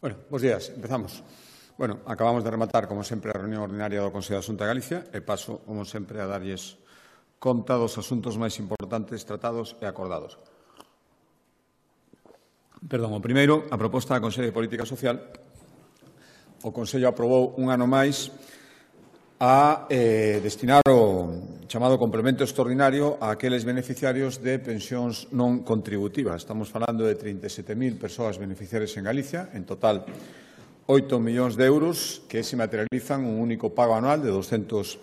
Bueno, bos días. Empezamos. Bueno, acabamos de rematar, como sempre, a reunión ordinaria do Consello da Xunta de Galicia e paso, como sempre, a darlles conta dos asuntos máis importantes tratados e acordados. Perdón, o primeiro, a proposta da Consello de Política Social. O Consello aprobou un ano máis a destinar o chamado complemento extraordinario a aqueles beneficiarios de pensións non contributivas. Estamos falando de 37.000 persoas beneficiarias en Galicia, en total 8 millóns de euros que se materializan un único pago anual de 218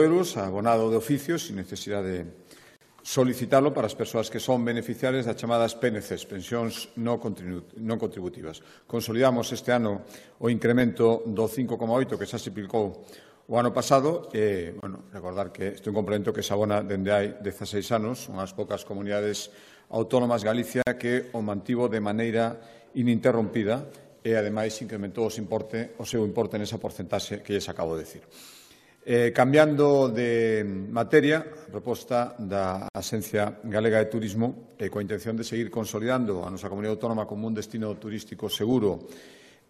euros, abonado de oficio, sin necesidade de solicitarlo para as persoas que son beneficiarias das chamadas PNCs, pensións non contributivas. Consolidamos este ano o incremento do 5,8 que xa se aplicou o ano pasado e, recordar que este é un complemento que se abona dende hai 16 anos, unhas poucas comunidades autónomas Galicia que o mantivo de maneira ininterrompida e, ademais, incrementou o seu importe nesa porcentaxe que lles acabo de dicir. Cambiando de materia, a proposta da Axencia Galega de Turismo coa intención de seguir consolidando a nosa comunidade autónoma como un destino turístico seguro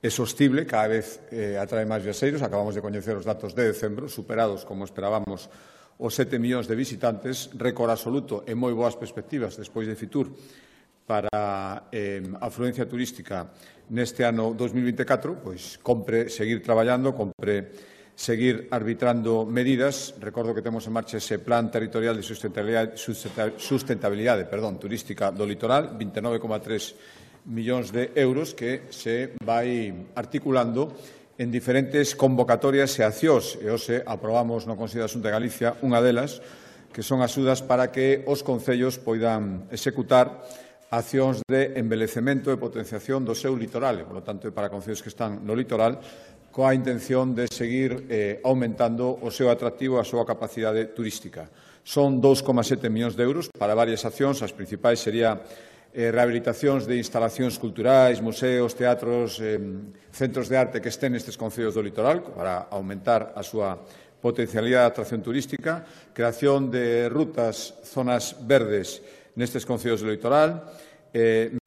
e sostible, cada vez atrae máis viaxeiros. Acabamos de coñecer os datos de decembro, superados, como esperábamos, os 7 millóns de visitantes, récord absoluto e moi boas perspectivas despois de Fitur para a afluencia turística neste ano 2024, pois compre seguir traballando, compre seguir arbitrando medidas. Recordo que temos en marcha ese Plan Territorial de Sustentabilidade turística do litoral, 29,3 millóns de euros que se vai articulando en diferentes convocatorias e accións. E hoxe aprobamos no Consello da Xunta de Galicia unha delas, que son axudas para que os concellos poidan executar accións de embelecemento e potenciación do seu litoral, e, por lo tanto, para concellos que están no litoral, coa intención de seguir aumentando o seu atractivo e a súa capacidade turística. Son 2,7 millóns de euros para varias accións. As principais serían rehabilitacións de instalacións culturais, museos, teatros, centros de arte que estén nestes concellos do litoral para aumentar a súa potencialidade de atracción turística, creación de rutas, zonas verdes nestes concellos do litoral,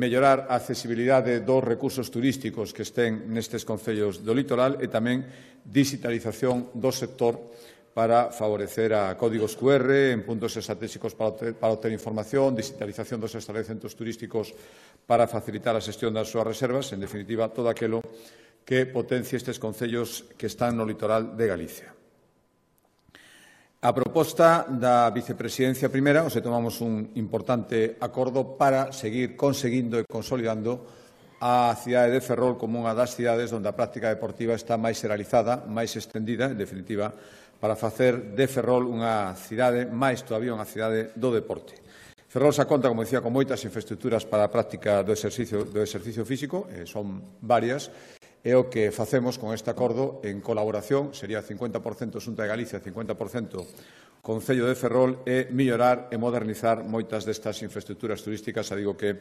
mellorar a accesibilidade dos recursos turísticos que estén nestes concellos do litoral e tamén digitalización do sector para favorecer a códigos QR en puntos estratégicos para obter información, digitalización dos estabelecementos turísticos para facilitar a xestión das súas reservas, en definitiva, todo aquilo que potencie estes concellos que están no litoral de Galicia. A proposta da vicepresidencia primeira, onde tomamos un importante acordo para seguir conseguindo e consolidando a cidade de Ferrol como unha das cidades onde a práctica deportiva está máis xeralizada, máis extendida, en definitiva, para facer de Ferrol unha cidade, máis todavía unha cidade do deporte. Ferrol xa conta, como dicía, con moitas infraestructuras para a práctica do exercicio físico, son varias, e o que facemos con este acordo en colaboración, sería 50% Xunta de Galicia, 50% Concello de Ferrol, é mellorar e modernizar moitas destas infraestructuras turísticas, digo que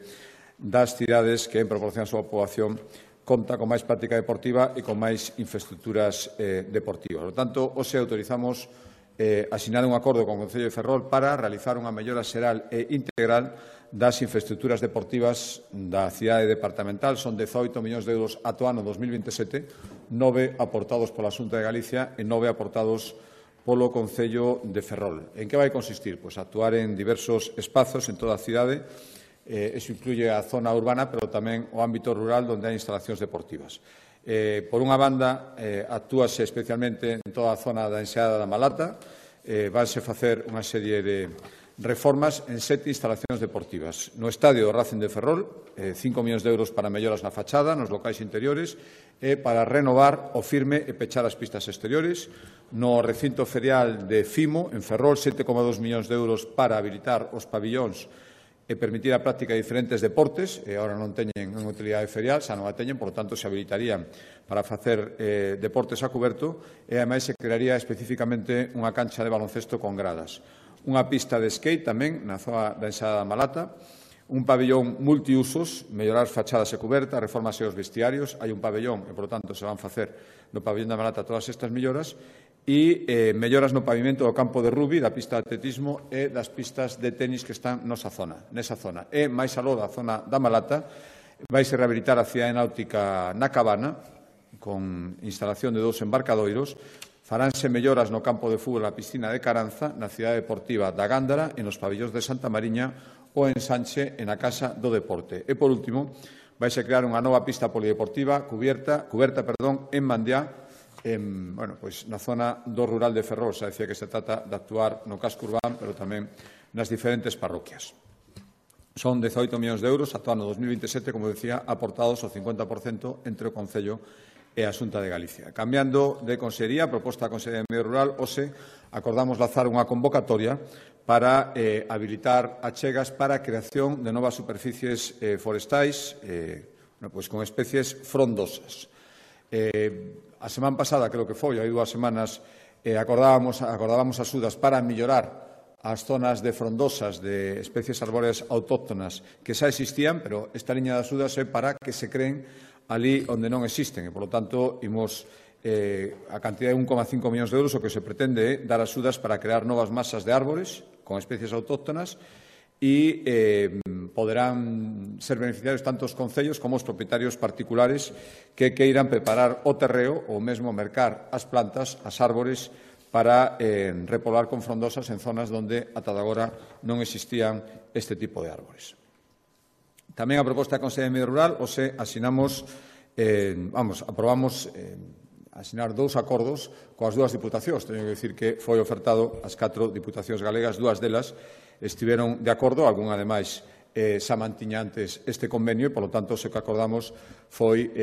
das cidades que en proporción a súa poboación conta con máis práctica deportiva e con máis infraestructuras deportivas. Por lo tanto, hoxe autorizamos asinar un acordo con o Concello de Ferrol para realizar unha mellora xeral e integral das infraestructuras deportivas da cidade departamental. Son 18 millóns de euros ata o ano 2027, 9 aportados pola Xunta de Galicia e 9 aportados polo Concello de Ferrol. En que vai consistir? Pois actuar en diversos espazos en toda a cidade. Eso incluye a zona urbana, pero tamén o ámbito rural onde hai instalacións deportivas. Por unha banda, actúase especialmente en toda a zona da Enseada da Malata. Vanse facer unha serie de reformas en 7 instalacións deportivas. No estadio do Racing de Ferrol, 5 millóns de euros para melloras na fachada, nos locais interiores, e para renovar o firme e pechar as pistas exteriores. No recinto ferial de Fimo, en Ferrol, 7,2 millóns de euros para habilitar os pabillóns e permitir a práctica de diferentes deportes, e agora non teñen unha utilidade ferial, xa non a teñen, por tanto, se habilitarían para facer deportes a cuberto, e, ademais, se crearía especificamente unha cancha de baloncesto con gradas. Unha pista de skate tamén na zona da Enseada da Malata, un pabellón multiusos, mellorar fachadas e cubertas, reformas e os vestiarios. Hai un pabellón e, por tanto, se van facer no pabellón da Malata todas estas melloras, e melloras no pavimento do campo de rugby, da pista de atletismo e das pistas de tenis que están nesa zona. E, máis aló da zona da Malata, Vaise rehabilitar a cidade náutica na Cabana, con instalación de 2 embarcadoiros. Faránse melloras no campo de fútbol e a piscina de Caranza, na cidade deportiva da Gándara e nos pabellóns de Santa Mariña, o ensanche e na Casa do Deporte. E, por último, vaise crear unha nova pista polideportiva cuberta en Mandiá, na zona do rural de Ferrol. Xa decía que se trata de actuar no casco urbán, pero tamén nas diferentes parroquias. Son 18 millóns de euros, actuando no 2027, como decía, aportados o 50% entre o Concello e a Xunta de Galicia. Cambiando de consellería, a proposta da Consellería de Medio Rural, hoxe acordamos lanzar unha convocatoria para habilitar achegas para a creación de novas superficies forestais con especies frondosas. A semana pasada, creo que foi, hai 2 semanas, acordábamos axudas para mellorar as zonas de frondosas de especies arbóreas autóctonas que xa existían, pero esta liña de axudas é para que se creen ali onde non existen e, polo tanto, imos a cantidad de 1,5 millóns de euros o que se pretende é dar axudas para crear novas masas de árbores con especies autóctonas e poderán ser beneficiarios tanto os concellos como os propietarios particulares que queiran preparar o terreo ou mesmo mercar as plantas, as árbores, para repoblar con frondosas en zonas onde ata agora non existían este tipo de árbores. Tamén a proposta da Consellería de Medio Rural, aprobamos asinar 2 acordos coas 2 diputacións. Teño que dicir que foi ofertado ás 4 diputacións galegas, 2 delas estiveron de acordo, algún ademais xa mantiña antes este convenio e, polo tanto, o que acordamos foi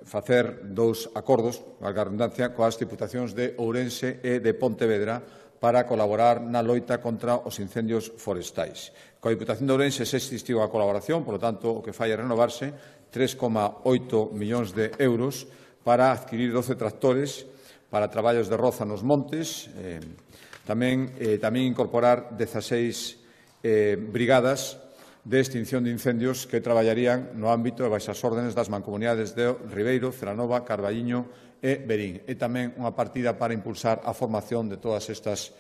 facer 2 acordos, valga a redundancia, coas diputacións de Ourense e de Pontevedra para colaborar na loita contra os incendios forestais. Coa Diputación de Ourense se existiu a colaboración, polo tanto, o que fai é renovarse 3,8 millóns de euros para adquirir 12 tractores para traballos de roza nos montes, tamén incorporar 16 brigadas de extinción de incendios que traballarían no ámbito e baixo as órdenes das mancomunidades de Ribeiro, Celanova, Carballiño e Verín. E tamén unha partida para impulsar a formación de todas estas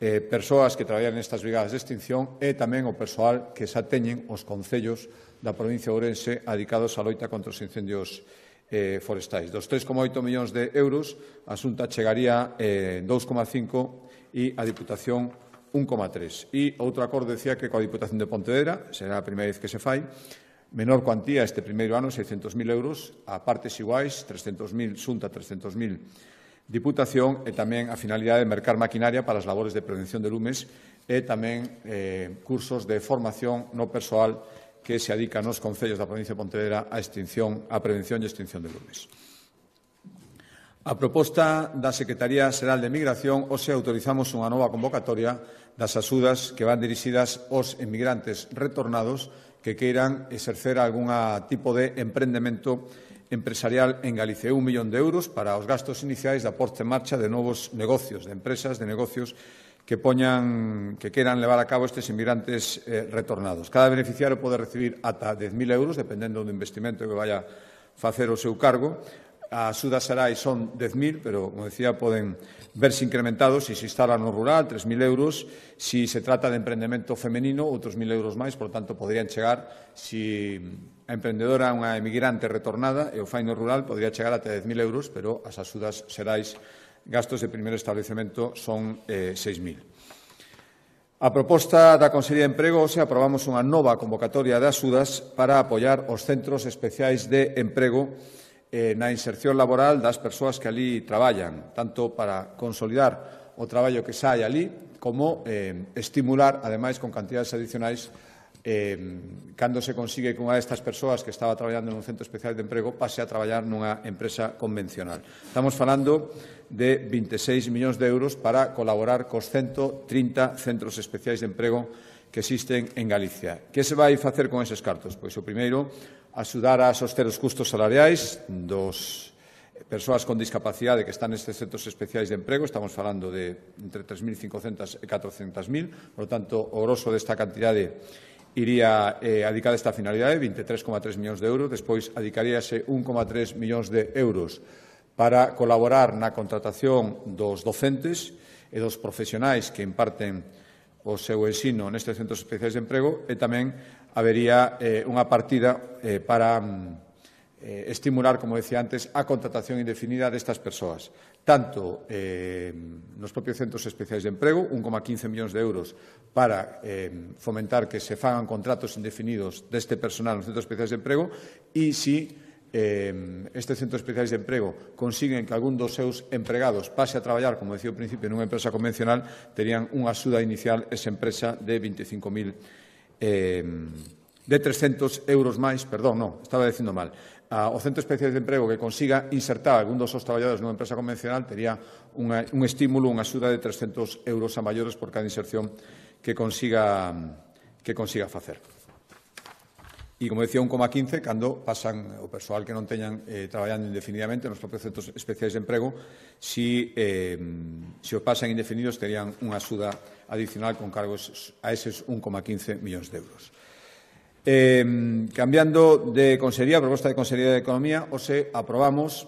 persoas que traballan nestas brigadas de extinción e tamén o persoal que xa teñen os concellos da provincia de Ourense dedicados á loita contra os incendios forestais. Dos 3,8 millóns de euros, a Xunta chegaría 2,5 e a Diputación 1,3. E outro acordo decía que coa Diputación de Pontevedra, será a primeira vez que se fai, menor cuantía este primeiro ano, 600.000 euros, a partes iguais, 300.000 Xunta, 300.000 Diputación, e tamén a finalidade de mercar maquinaria para as labores de prevención de lumes e tamén cursos de formación no persoal que se adica nos concellos da provincia de Pontevedra a prevención e extinción de lumes. A proposta da Secretaría Xeral de Migración, hoxe autorizamos unha nova convocatoria das axudas que van dirixidas aos emigrantes retornados que queiran exercer algún tipo de emprendemento empresarial en Galicia. 1 millón de euros para os gastos iniciais da posta en marcha de novos negocios, de empresas, de negocios que queiran levar a cabo estes inmigrantes retornados. Cada beneficiario pode recibir ata 10.000 euros, dependendo do investimento que vaya facer o seu cargo. A axuda xerais son 10.000, pero, como decía, poden verse incrementados se instala no rural, 3.000 euros. Se se trata de emprendemento femenino, outros 1.000 euros máis, por tanto, poderían chegar, se a emprendedora é unha emigrante retornada e o fai no rural, podría chegar ata 10.000 euros, pero as axudas xerais gastos de primeiro establecemento son 6.000. A proposta da Consellería de Emprego, aprobamos unha nova convocatoria de axudas para apoiar os centros especiais de emprego na inserción laboral das persoas que ali traballan, tanto para consolidar o traballo que xa hai ali, como estimular, ademais, con cantidades adicionais, cando se consigue que unha destas persoas que estaba traballando nun centro especial de emprego pase a traballar nunha empresa convencional. Estamos falando de 26 millóns de euros para colaborar cos 130 centros especiais de emprego que existen en Galicia. Que se vai facer con eses cartos? Pois o primeiro, axudar a soster os custos salariais dos persoas con discapacidade que están nestes centros especiais de emprego. Estamos falando de entre 3.500 e 400.000. Por lo tanto, o grosso desta cantidade iría adicada a esta finalidade, 23,3 millóns de euros. Despois, adicaríase 1,3 millóns de euros para colaborar na contratación dos docentes e dos profesionais que imparten o seu ensino nestes centros especiais de emprego e tamén habería unha partida para estimular, como decía antes, a contratación indefinida destas persoas, tanto nos propios centros especiais de emprego, 1,15 millóns de euros para fomentar que se fagan contratos indefinidos deste personal nos centros especiais de emprego e si estes centros especiais de emprego consiguen que algún dos seus empregados pase a traballar, como decía ao principio, nunha empresa convencional, terían unha axuda inicial esa empresa de 25.000 de 300 euros máis, perdón, non, estaba dicindo mal. O centro especial de emprego que consiga insertar algún dos seus traballadores nunha empresa convencional tería un estímulo, unha axuda de 300 euros a maiores por cada inserción que consiga facer. E, como decía, 1,15 cando pasan o persoal que non teñan traballando indefinidamente nos propios centros especiais de emprego, se o pasan indefinidos terían unha axuda adicional con cargos a eses 1,15 millóns de euros. Cambiando de consellería, a proposta de Consellería de Economía, hoxe aprobamos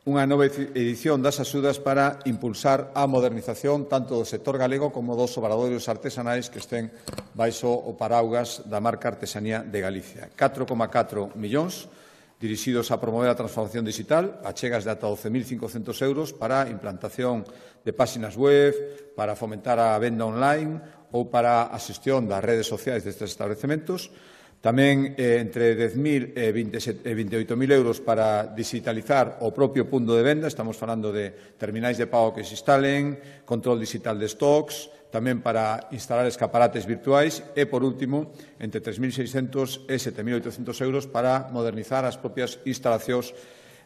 unha nova edición das axudas para impulsar a modernización tanto do sector galego como dos obradoiros artesanais que estén baixo o paraugas da marca Artesanía de Galicia. 4,4 millóns dirixidos a promover a transformación digital, achegas de ata 12.500 euros para a implantación de páxinas web, para fomentar a venda online ou para a xestión das redes sociais destes establecementos. Tamén entre 10.000 e 28.000 euros para digitalizar o propio punto de venda. Estamos falando de terminais de pago que se instalen, control digital de stocks, tamén para instalar escaparates virtuais e, por último, entre 3.600 e 7.800 euros para modernizar as propias instalacións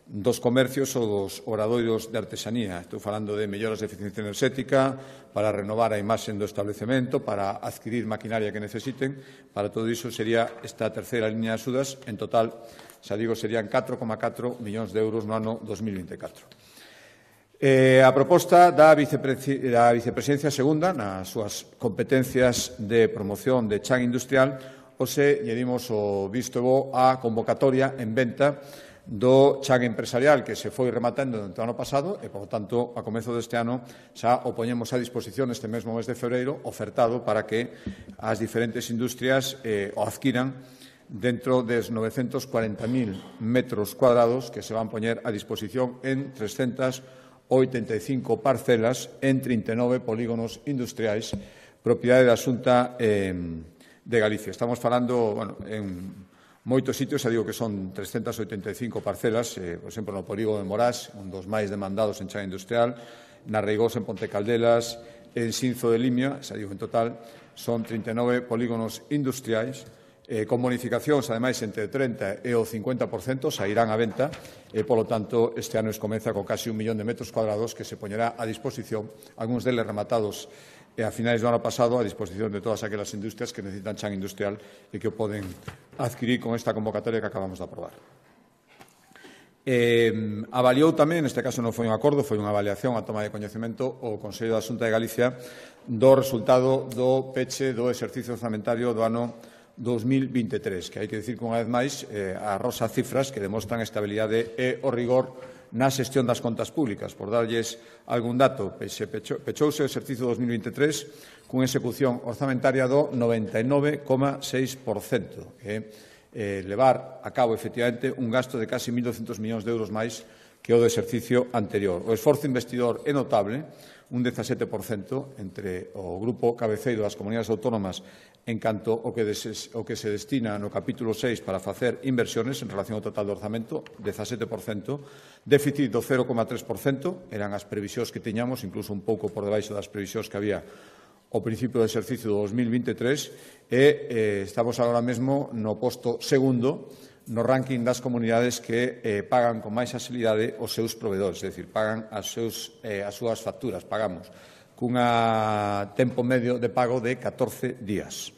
dos comercios ou dos obradoiros de artesanía. Estou falando de melloras de eficiencia enerxética, para renovar a imaxe do establecemento, para adquirir maquinaria que necesiten. Para todo iso sería esta terceira liña de axudas. En total, xa digo, serían 4,4 millóns de euros no ano 2024. A proposta da Vicepresidencia Segunda, nas súas competencias de promoción de chan industrial, hoxe lle dimos o visto bo á convocatoria en venta do chan empresarial que se foi rematando durante o ano pasado e, por tanto, a comezo deste ano xa o poñemos a disposición este mesmo mes de febreiro ofertado para que as diferentes industrias o adquiran dentro des 940.000 metros cuadrados que se van poñer a disposición en 385 parcelas en 39 polígonos industriais propiedade da Xunta de Galicia. Estamos falando, en moitos sitios, xa digo que son 385 parcelas, por exemplo, no polígono de Morás, un dos máis demandados en chan industrial, na Reigosa, en Ponte Caldelas, en Xinzo de Limia, xa digo, en total, son 39 polígonos industriais, con bonificacións, ademais, entre 30% e o 50%, sairán a venta, e, polo tanto, este ano comeza con casi 1 millón de metros cuadrados que se poñerá a disposición, algúns deles rematados a finais do ano pasado, a disposición de todas aquelas industrias que necesitan chan industrial e que o poden adquirir con esta convocatoria que acabamos de aprobar. Avaliou tamén, neste caso non foi un acordo, foi unha avaliación a toma de coñecemento o Consello da Xunta de Galicia do resultado do peche do exercicio orzamentario do ano 2023, que hai que dicir que unha vez máis arrosa cifras que demostran a estabilidade e o rigor na xestión das contas públicas. Por darlles algún dato, pechouse o exercicio 2023 cunha execución orzamentaria do 99,6%, levar a cabo, efectivamente, un gasto de casi 1.200 millóns de euros máis que o do exercicio anterior. O esforzo investidor é notable, un 17% entre o grupo cabeceiro das comunidades autónomas en canto ao que se destina no capítulo 6 para facer inversiones en relación ao total do orzamento, 17%, déficit do 0,3%, eran as previsións que tiñamos, incluso un pouco por debaixo das previsións que había ao principio do exercicio do 2023, e estamos agora mesmo no posto segundo no ranking das comunidades que pagan con máis axilidade os seus provedores, é dicir, pagan as súas facturas, pagamos, cunha tempo medio de pago de 14 días.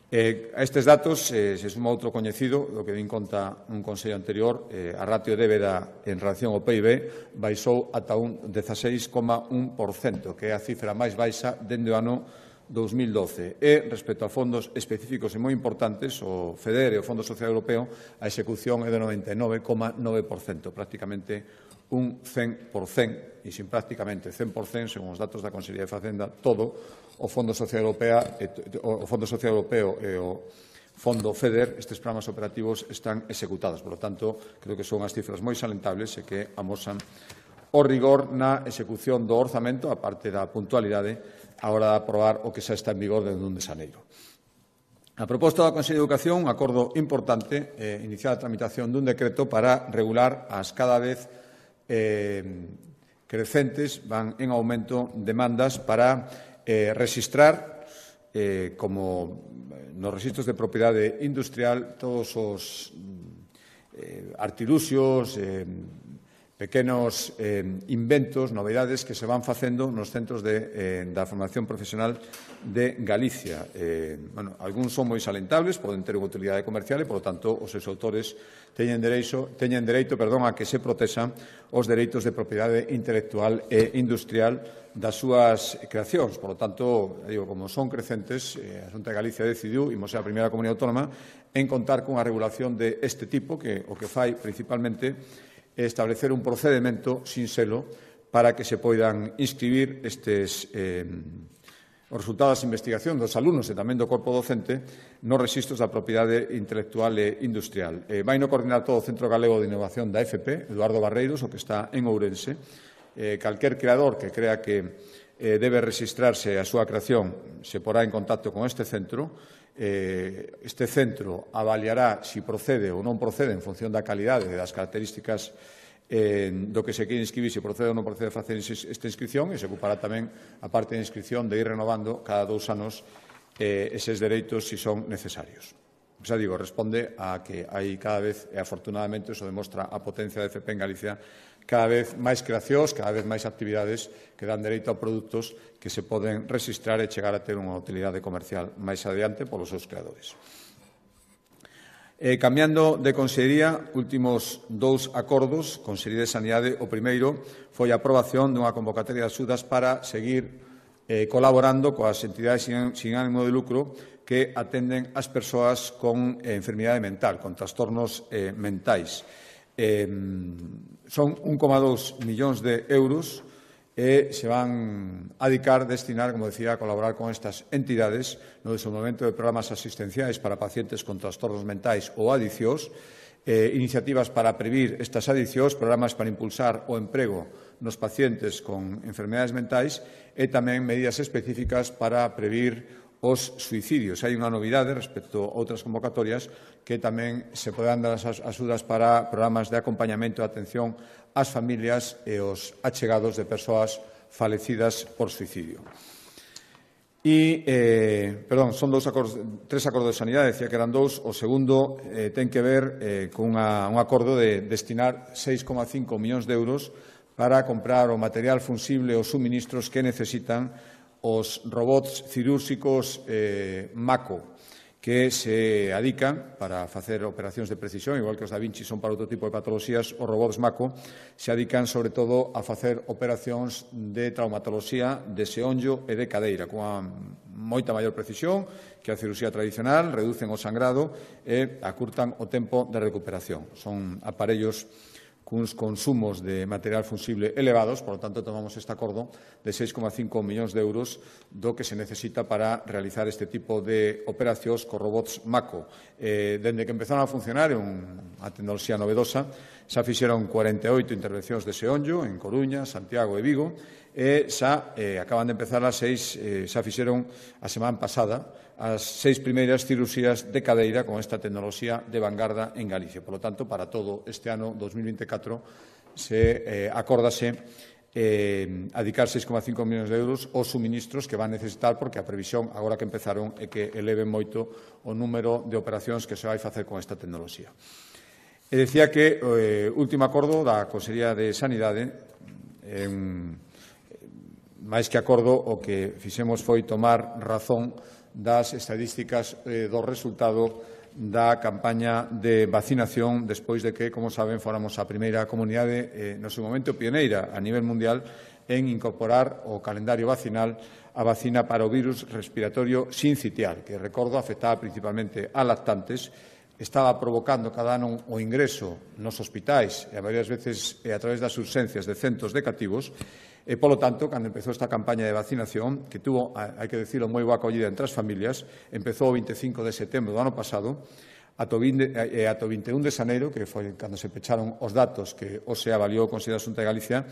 A estes datos se suma outro coñecido, do que din conta un consello anterior, a ratio de débeda en relación ao PIB baixou ata un 16,1%, que é a cifra máis baixa dende o ano 2012. E, respecto a fondos específicos e moi importantes, o FEDER e o Fondo Social Europeo, a execución é de 99,9%, prácticamente un 100%, e sin prácticamente 100%, según os datos da Consellería de Facenda, todo o Fondo Social Europeo e o Fondo FEDER, estes programas operativos están executados. Por lo tanto, creo que son as cifras moi salentables e que amosan o rigor na execución do orzamento, a parte da puntualidade, a hora de aprobar o que xa está en vigor desde 1 de xaneiro. A proposta da Consellería de Educación, un acordo importante, iniciar a tramitación dun decreto para regular as cada vez crecentes, van en aumento, demandas para rexistrar como nos registros de propiedade industrial todos os artiluxios, pequenos inventos, novedades que se van facendo nos centros da formación profesional de Galicia. Algúns son moi salentables, poden ter unha utilidade comercial e, polo tanto, os seus autores teñen dereito a que se protexan os dereitos de propiedade intelectual e industrial das súas creacións. Por lo tanto, como son crecentes, a Xunta de Galicia decidiu, imos ser a primeira comunidade autónoma, en contar cunha regulación deste tipo, que o que fai principalmente é establecer un procedimento sin selo para que se poidan inscribir estes os resultados da investigación dos alumnos e tamén do corpo docente nos registros da propiedade intelectual e industrial. Vai no coordinar todo o Centro Galego de Innovación da FP, Eduardo Barreiros, o que está en Ourense. Calquer creador que crea que debe registrarse a súa creación se porá en contacto con este centro. Este centro avaliará se procede ou non procede en función da calidade e das características do que se quere inscribir, se procede ou non procede a facer esta inscripción, e se ocupará tamén a parte de inscripción de ir renovando cada 2 anos eses dereitos se son necesarios. Xa digo, responde a que hai cada vez, e afortunadamente iso demostra a potencia da FP en Galicia, cada vez máis creacións, cada vez máis actividades que dan dereito a produtos que se poden registrar e chegar a ter unha utilidade comercial máis adiante polos seus creadores. Cambiando de consellería, últimos 2 acordos, Consellería de Sanidade. O primeiro foi a aprobación dunha convocatoria de axudas para seguir colaborando coas entidades sin ánimo de lucro que atenden as persoas con enfermidade mental, con trastornos mentais. Son 1,2 millóns de euros e se van a destinar, como decía, a colaborar con estas entidades no desenvolvemento de programas asistenciais para pacientes con trastornos mentais ou adiccións, iniciativas para previr estas adiccións, programas para impulsar o emprego nos pacientes con enfermedades mentais e tamén medidas específicas para previr os suicidios. Hai unha novidade respecto a outras convocatorias que tamén se poderán dar as axudas para programas de acompañamento e atención ás familias e aos achegados de persoas falecidas por suicidio. Son 3 acordos de sanidade, decía que eran 2. O segundo ten que ver con un acordo de destinar 6,5 millóns de euros para comprar o material funsible e os suministros que necesitan os robots cirúrxicos Mako, que se adican para facer operacións de precisión, igual que os Da Vinci son para outro tipo de patoloxías, os robots Mako se adican sobre todo a facer operacións de traumatoloxía de xeonllo e de cadeira, cunha moita maior precisión que a cirurxía tradicional, reducen o sangrado e acurtan o tempo de recuperación. Son aparellos cuns consumos de material funsible elevados, por lo tanto, tomamos este acordo de 6,5 millóns de euros do que se necesita para realizar este tipo de operacións co robots Mako. Dende que empezaron a funcionar, é unha tecnoloxía novedosa, xa fixeron 48 intervencións de xeonllo en Coruña, Santiago e Vigo, e xa acaban de empezar as 6, xa fixeron a semana pasada as 6 primeiras cirurxías de cadeira con esta tecnoloxía de vanguarda en Galicia. Por lo tanto, para todo este ano 2024 se acórdase adicar 6,5 millóns de euros aos suministros que van necesitar, porque a previsión, agora que empezaron, é que eleven moito o número de operacións que se vai facer con esta tecnoloxía. E decía que o último acordo da Consellería de Sanidade, máis que acordo, o que fixemos foi tomar razón das estadísticas do resultado da campaña de vacinación despois de que, como saben, fóramos a primeira comunidade, no seu momento pioneira a nivel mundial, en incorporar ao calendario vacinal a vacina para o virus respiratorio sincitial, que, recordo, afectaba principalmente a lactantes, estaba provocando cada ano o ingreso nos hospitais e a varias veces a través das urxencias de centos de cativos. E, polo tanto, cando empezou esta campaña de vacinación, que tuvo, hai que decirlo, moi boa acollida entre as familias, empezou o 25 de setembro do ano pasado, ata o 21 de xaneiro, que foi cando se pecharon os datos que hoxe avaliou o Consello da Xunta de Galicia,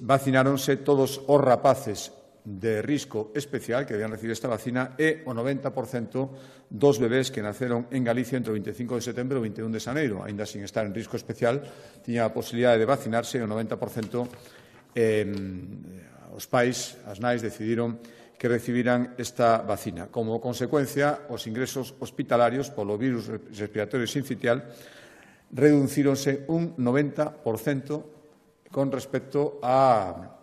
vacináronse todos os rapaces de risco especial que debían recibir esta vacina e o 90% dos bebés que naceron en Galicia entre o 25 de setembro e o 21 de xaneiro, aínda sin estar en risco especial, tiña a posibilidade de vacinarse e o 90% os pais, as nais, decidiron que recibiran esta vacina. Como consecuencia, os ingresos hospitalarios polo virus respiratorio sincitial reducíronse un 90% con respecto ao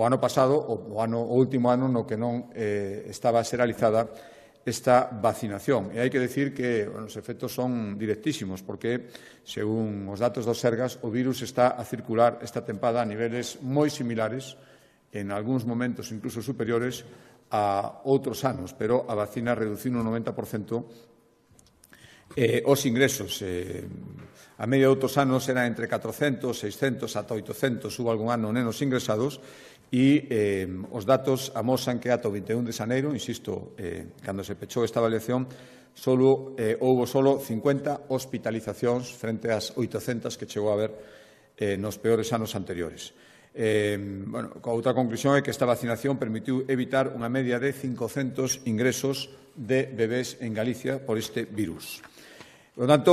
ano pasado, o último ano no que non estaba xeralizada esta vacinación. E hai que decir que os efectos son directísimos, porque, según os datos do Sergas, o virus está a circular esta tempada a niveles moi similares, en algúns momentos incluso superiores a outros anos, pero a vacina reduciu un 90% os ingresos. A media de outros anos era entre 400, 600, ata 800, hubo algún ano nenos ingresados, e os datos amosan que ata o 21 de xaneiro, insisto, cando se pechou esta avaliación, houbo solo 50 hospitalizacións frente ás 800 que chegou a haber nos peores anos anteriores. A outra conclusión é que esta vacinación permitiu evitar unha media de 500 ingresos de bebés en Galicia por este virus. Por lo tanto,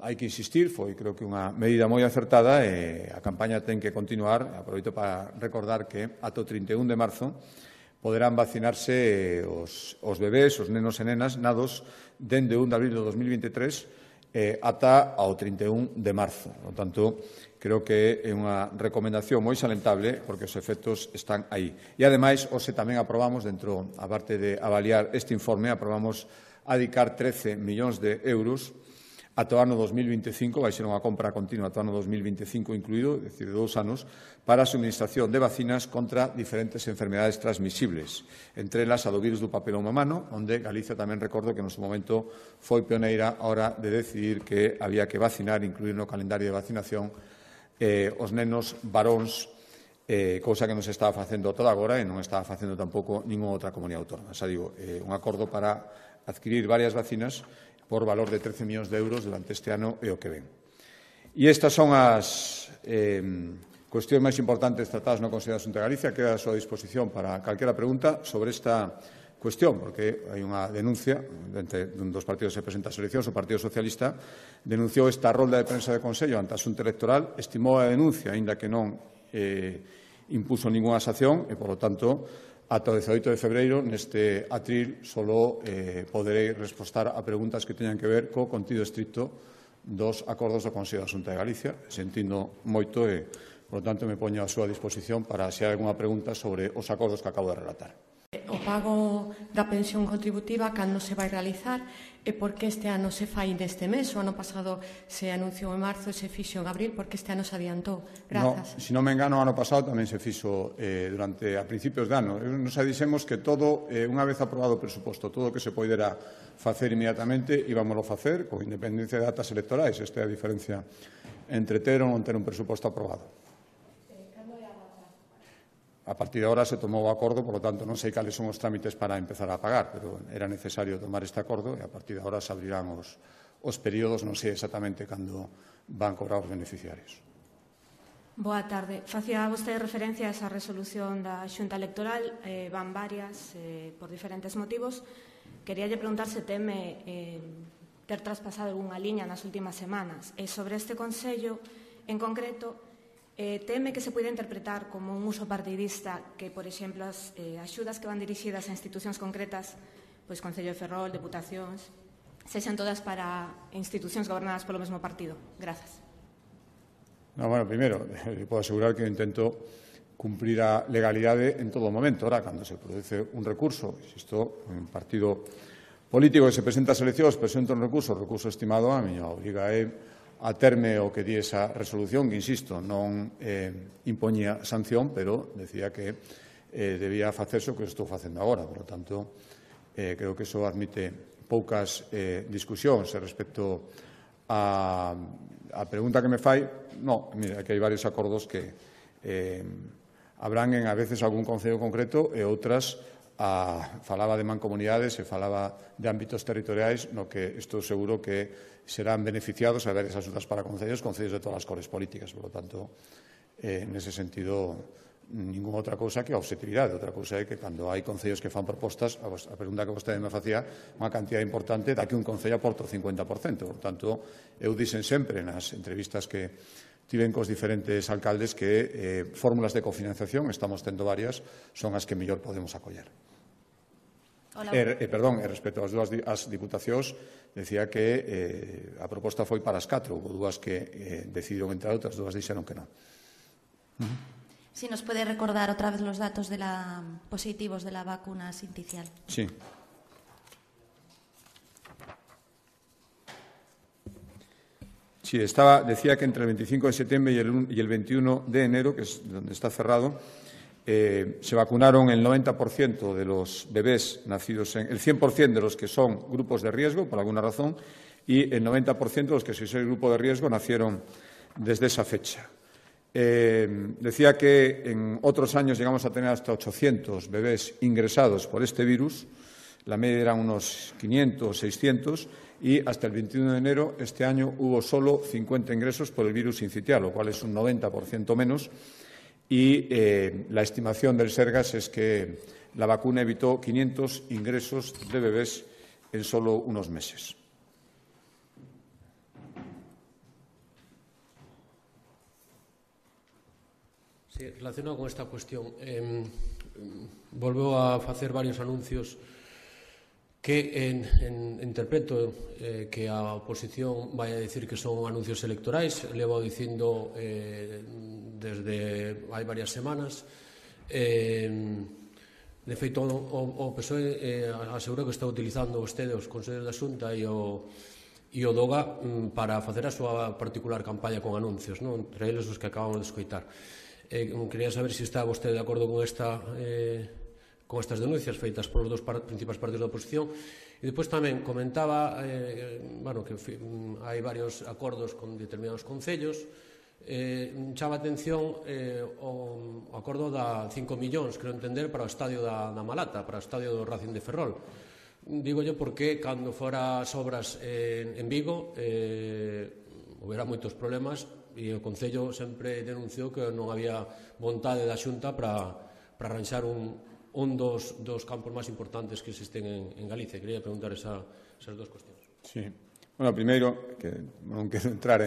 hai que insistir, foi creo que unha medida moi acertada e a campaña ten que continuar. Aproveito para recordar que ata o 31 de marzo poderán vacinarse os bebés, os nenos e nenas nados dende 1 de abril de 2023 ata ao 31 de marzo. Por lo tanto, creo que é unha recomendación moi salentable porque os efectos están aí. E, ademais, hoxe tamén aprobamos, dentro, a parte de avaliar este informe, aprobamos adicar 13 millóns de euros ata o ano 2025, vai ser unha compra continua ata o ano 2025 incluído, é dicir, de 2 anos, para a suministración de vacinas contra diferentes enfermedades transmisibles, entre elas a do virus do papiloma humano, onde Galicia tamén recordo que no seu momento foi pioneira a hora de decidir que había que vacinar, incluir no calendario de vacinación os nenos varóns, cousa que non se estaba facendo toda agora e non estaba facendo tampouco ninguna outra comunidade autónoma. Xa digo, un acordo para adquirir varias vacinas por valor de 13 millóns de euros durante este ano e o que ven. E estas son as cuestións máis importantes tratadas no Consello da Xunta de Galicia. Queda a súa disposición para calquera pregunta sobre esta cuestión, porque hai unha denuncia entre un dos partidos que presenta as eleccións, o Partido Socialista, denunciou esta rolda de prensa de Consello ante a Xunta Electoral, estimou a denuncia, aínda que non impuso ninguna sanción e, polo tanto, ata o 18 de febreiro, neste atril, só poderei respostar a preguntas que teñan que ver co contido estricto dos acordos do Consello da Xunta de Galicia. Sentindo moito e, por lo tanto, me poño a súa disposición para se hai algunha pregunta sobre os acordos que acabo de relatar. O pago da pensión contributiva, cando se vai realizar e por que este ano se fai neste mes? O ano pasado se anunciou en marzo e se fixo en abril, por que este ano se adiantou? Grazas. Se non me engano, o ano pasado tamén se fixo durante a principios de ano. Nos dixemos que todo, unha vez aprobado o presuposto, todo o que se poidera facer inmediatamente, íbamoslo facer, con independencia de datas electorais. Esta é a diferencia entre ter ou non ter un presuposto aprobado. A partir de ahora se tomou o acordo, por lo tanto, non sei cales son os trámites para empezar a pagar, pero era necesario tomar este acordo e a partir de ahora se abrirán os períodos, non sei exactamente cando van cobrar os beneficiarios. Boa tarde. Facía vostede referencia a esa resolución da Xunta Electoral, van varias por diferentes motivos. Queríalle preguntar se teme ter traspasado algunha liña nas últimas semanas. E sobre este Consello, en concreto, teme que se poida interpretar como un uso partidista que, por exemplo, as axudas que van dirixidas a institucións concretas, pois Concello de Ferrol, deputacións, sexan todas para institucións gobernadas polo mesmo partido. Grazas. Bueno, primeiro, le podo asegurar que intento cumprir a legalidade en todo momento. Ahora, cando se produce un recurso, insisto, un partido político que se presenta a eleccións, presenta un recurso estimado, a miña obriga é a terme o que di esa resolución, que, insisto, non impoñía sanción, pero decía que debía facerse o que estou facendo agora. Por lo tanto, Creo que iso admite poucas discusións respecto a pregunta que me fai. No, mira, que hai varios acordos que abranguen a veces algún concello concreto e outras falaba de mancomunidades e falaba de ámbitos territoriais no que estou seguro que serán beneficiados a ver esas axudas para concellos de todas as cores políticas. Por lo tanto, nese sentido, ninguna outra cousa que a objetividade. Outra cousa é que cando hai concellos que fan propostas, a pregunta que vostede me facía, unha cantidad importante da que un concello aporta o 50%. Por tanto, eu dixen sempre nas entrevistas que tiven cos diferentes alcaldes que fórmulas de cofinanciación, estamos tendo varias, son as que mellor podemos acoller. Perdón, respecto ás diputacións, decía que a proposta foi para as 4, houve dúas que decidiron entrar, outras dúas dixeron que non. Si nos puede recordar otra vez los datos de positivos de la vacuna sinticial. Sí. Sí, decía que entre el 25 de septiembre y el 21 de enero, que es donde está cerrado, se vacunaron el 90% de los bebés nacidos el 100% de los que son grupos de riesgo, por alguna razón, y el 90% de los que son el grupo de riesgo nacieron desde esa fecha. Decía que en otros años llegamos a tener hasta 800 bebés ingresados por este virus, la media eran unos 500 o 600, y hasta el 21 de enero este año hubo solo 50 ingresos por el virus sincitial, lo cual es un 90% menos, y la estimación del Sergas es que la vacuna evitó 500 ingresos de bebés en solo unos meses. Sí, relacionado con esta cuestión, volveu a facer varios anuncios que interpreto que a oposición vai a dicir que son anuncios electorais, levo dicindo desde hai varias semanas. De feito, o PSOE asegurou que está utilizando vostede os consellos da Xunta e o DOGA para facer a súa particular campaña con anuncios, entre eles os que acabamos de escoitar. Quería saber se está vostede de acordo con estas denuncias feitas polos dos principais partidos da oposición. E depois tamén comentaba que hai varios acordos con determinados concellos. Chama a atención o acordo da 5 millóns, creo entender, para o estadio da Malata, para o estadio do Racing de Ferrol. Dígolle porque cando fora as obras en Vigo houbera moitos problemas e o Concello sempre denunciou que non había vontade da Xunta para arranxar un dos campos máis importantes que existen en Galicia. Quería preguntar esas dos cuestións. Sí. Bueno, primeiro, que non quero entrar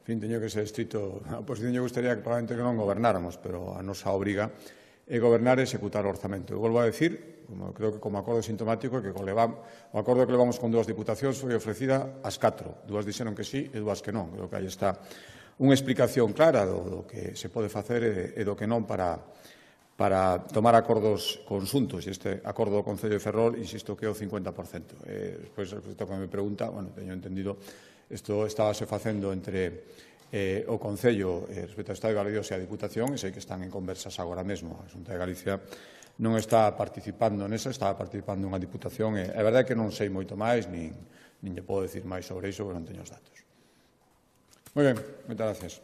teño que ser estrito, a oposición lle gustaría que probablemente que non gobernáramos, pero a nosa obriga é gobernar e executar o orzamento. Eu volvo a decir, creo que como acordo sintomático, que o acordo que levamos con dúas diputacións foi ofrecida ás 4. Dúas dixeron que sí e dúas que non. Creo que aí está unha explicación clara do que se pode facer e do que non para tomar acordos conxuntos. E este acordo do Concello de Ferrol, insisto, que é o 50%. Despois, respecto ao que me pregunta, teño entendido, isto estábase facendo entre o Concello respecto ao Estado de Galicia e a Diputación, e sei que están en conversas agora mesmo. A Xunta de Galicia non está participando nesa, está participando unha Diputación, e a verdade é que non sei moito máis, nin lle podo decir máis sobre iso, porque non teño os datos. Moi ben, moitas gracias.